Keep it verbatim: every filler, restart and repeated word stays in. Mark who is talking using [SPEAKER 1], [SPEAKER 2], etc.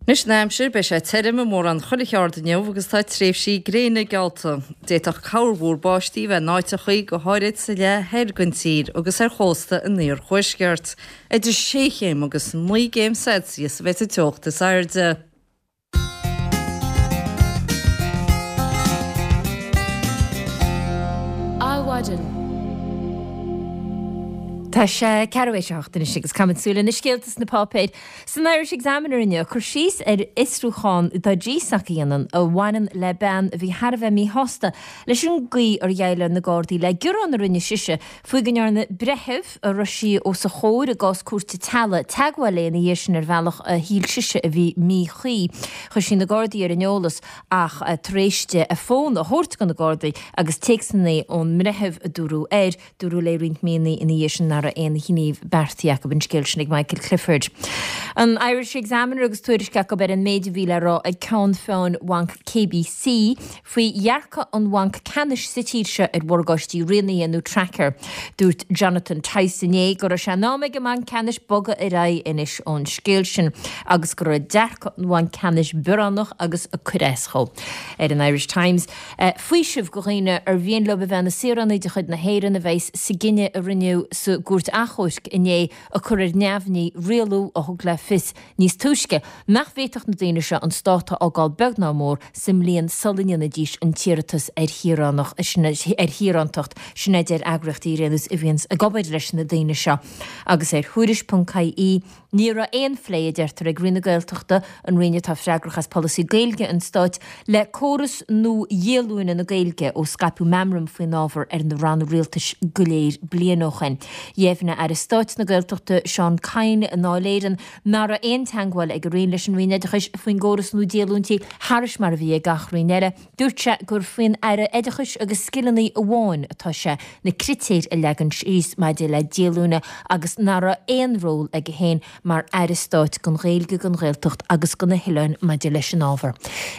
[SPEAKER 1] Anois an aimsir, beidh sé tirim i mórán chuile cheard inniu agus tá tréimhsí gréine geallta. D'fhéadfadh corrmhúr báistí bheith in áiteachaí, go háirid sa leath thoir den tír agus ar chósta an iarthuaiscirt. Idir sé chéim agus naoi gcéim Celsius a bheidh sa teocht is airde.
[SPEAKER 2] Adhmhaidin.
[SPEAKER 3] Tá sé ceathrú théis a hocht anois agus caithfimid súil ar na scéalta sna páipéir. San Irish Examiner inniu, cur síos ar fhiosrúchán atá GSAC a dhéanamh a bhaineann le bean a bhí thar a bheith míshásta leis an gcaoi ar dhéileáil na Gardaí le gearán a rinne sise faoi go ndearna breitheamh a raibh sí os a chomhair i gcás cúirte teaghlaigh teagmháil léi ina dhiaidh sin ar bhealach a shíl sise a bhí míchuí. Chuir sí na Gardaí ar an eolas ach tar éis di a fón a thabhairt do na Gardaí agus téacsanna ón mbreitheamh a dúradh air, Dúradh léi roinnt míonna ina dhiaidh sin nach raibh aon ghníomh beartaithe acu an scéal sin ag Michael Clifford. An Irish Examiner agus tuairisc acu ar an méid a bhí le rá ag ceann feadhain Bhanc KBC faoi dhearcadh an Bhainc Ceannais sa tír seo ar mhorgáistí rianaithe nó tracker. Dúirt Jonathan Tice inné go raibh sé in am ag an mBanc Ceannais bogadh ar aghaidh anois ón scéal sin agus go raibh dearcadh an Bhainc Ceannais bioránach agus ag cur as dhó. Ar an Irish Times. Faoiseamh do dhaoine ar mhian leo a bheith ina saoránaigh de chuid na hÉireann a bheas sa gcinneadh a rinneadh sa gCúirt Achomhairc inné ag cur ar neamhní rialú a thug le fios níos túisce nach bhféadfadh na daoine seo an stát a fhágáil beag ná mór sa mbliain sula ndéanfaidís an t-iarratas ar ar shaorántacht. Sin a deir eagraíochtaí ar aon nós a bhíonns ag obair leis na daoine seo. Agus ar Thuairisc ponc ie, Ní raibh aon phlé, a deirtear, ag Roinn na Gaeltachta, an roinn atá freagrach as polasaí Gaeilge an stáit, le córas nua dhíolúine na Gaeilge ó scaipeadh meamram faoin ábhar ar na ranna rialtais go léir bliain ó shin. Dheimhnigh Aire Stáit na Gaeltachta Seán Kyne i nDáil Éireann nach raibh aon teagmháil ag a roinn leis an Roinn Oideachais faoin gcóras nua díolúintí, thairis mar a bhí ag gach roinn eile. Dúirt sé gur faoin Aire Oideachais agus Scileanna amháin atá sé na critéir a leagan síos maidir le díolúine agus nach raibh aon ról aige féin mar Aire Stáit don Ghaeilge, don Ghaeltacht agus do na hOileáin maidir leis an ábhar.